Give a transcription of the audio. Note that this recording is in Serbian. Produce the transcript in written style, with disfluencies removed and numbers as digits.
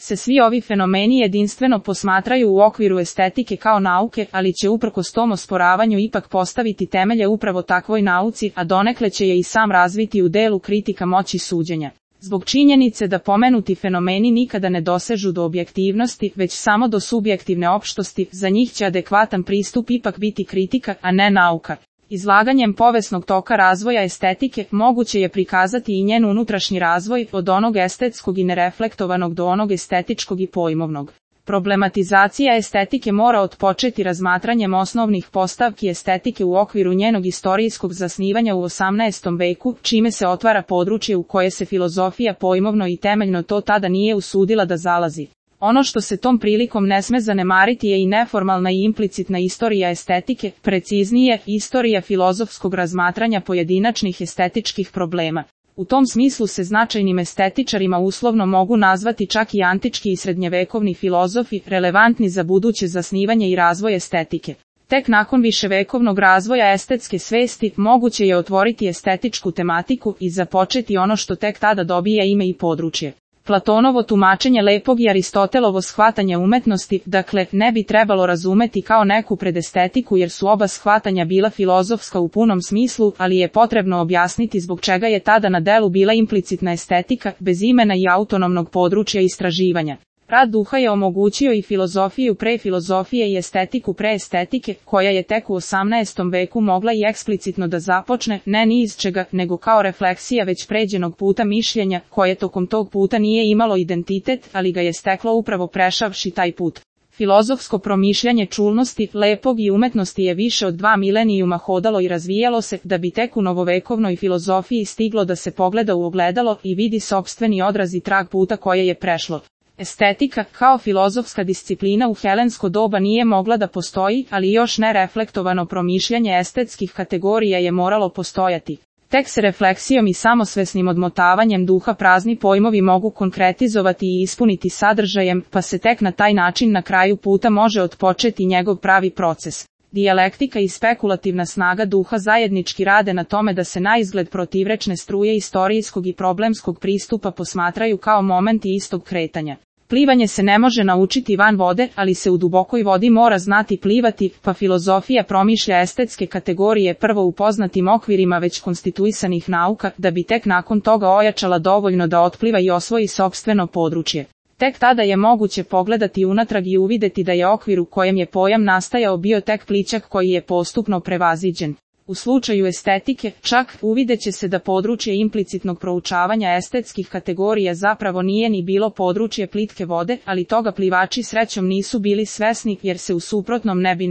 se svi ovi fenomeni jedinstveno posmatraju u okviru estetike kao nauke, ali će uprkos tom osporavanju ipak postaviti temelje upravo takvoj nauci, a donekle će je i sam razviti u delu kritika moći suđenja. Zbog činjenice da pomenuti fenomeni nikada ne dosežu do objektivnosti, već samo do subjektivne opštosti, za njih će adekvatan pristup ipak biti kritika, a ne nauka. Izlaganjem povesnog toka razvoja estetike, moguće je prikazati i njen unutrašnji razvoj, od onog estetskog i nereflektovanog do onog estetičkog i pojmovnog. Problematizacija estetike mora otpočeti razmatranjem osnovnih postavki estetike u okviru njenog istorijskog zasnivanja u 18. veku, čime se otvara područje u koje se filozofija pojmovno i temeljno to tada nije usudila da zalazi. Ono što se tom prilikom ne sme zanemariti je i neformalna i implicitna istorija estetike, preciznije, istorija filozofskog razmatranja pojedinačnih estetičkih problema. U tom smislu se značajnim estetičarima uslovno mogu nazvati čak i antički i srednjevekovni filozofi, relevantni za buduće zasnivanje i razvoj estetike. Tek nakon viševekovnog razvoja estetske svesti, moguće je otvoriti estetičku tematiku i započeti ono što tek tada dobija ime i područje. Platonovo tumačenje lepog i Aristotelovo shvatanje umetnosti, dakle, ne bi trebalo razumeti kao neku predestetiku jer su oba shvatanja bila filozofska u punom smislu, ali je potrebno objasniti zbog čega je tada na delu bila implicitna estetika, bez imena i autonomnog područja istraživanja. Rad duha je omogućio i filozofiju pre filozofije i estetiku pre estetike, koja je tek u 18. veku mogla i eksplicitno da započne, ne ni iz čega, nego kao refleksija već pređenog puta mišljenja, koje tokom tog puta nije imalo identitet, ali ga je steklo upravo prešavši taj put. Filozofsko promišljanje čulnosti, lepog i umetnosti je više od 2 milenijuma hodalo i razvijalo se, da bi tek u novovekovnoj filozofiji stiglo da se pogleda u ogledalo i vidi sopstveni odraz i trag puta koje je prešlo. Estetika, kao filozofska disciplina u helensko doba nije mogla da postoji, ali još nereflektovano promišljanje estetskih kategorija je moralo postojati. Tek se refleksijom i samosvesnim odmotavanjem duha prazni pojmovi mogu konkretizovati i ispuniti sadržajem, pa se tek na taj način na kraju puta može otpočeti njegov pravi proces. Dijalektika i spekulativna snaga duha zajednički rade na tome da se naizgled protivrečne struje istorijskog i problemskog pristupa posmatraju kao momenti istog kretanja. Plivanje se ne može naučiti van vode, ali se u dubokoj vodi mora znati plivati, pa filozofija promišlja estetske kategorije prvo u poznatim okvirima već konstituisanih nauka, da bi tek nakon toga ojačala dovoljno da otpliva i osvoji sopstveno područje. Tek tada je moguće pogledati unatrag i uvideti da je okvir u kojem je pojam nastajao bio tek plićak koji je postupno prevaziđen. U slučaju estetike, čak, uvideće se da područje implicitnog proučavanja estetskih kategorija zapravo nije ni bilo područje plitke vode, ali toga plivači srećom nisu bili svesni jer se u suprotnom ne bi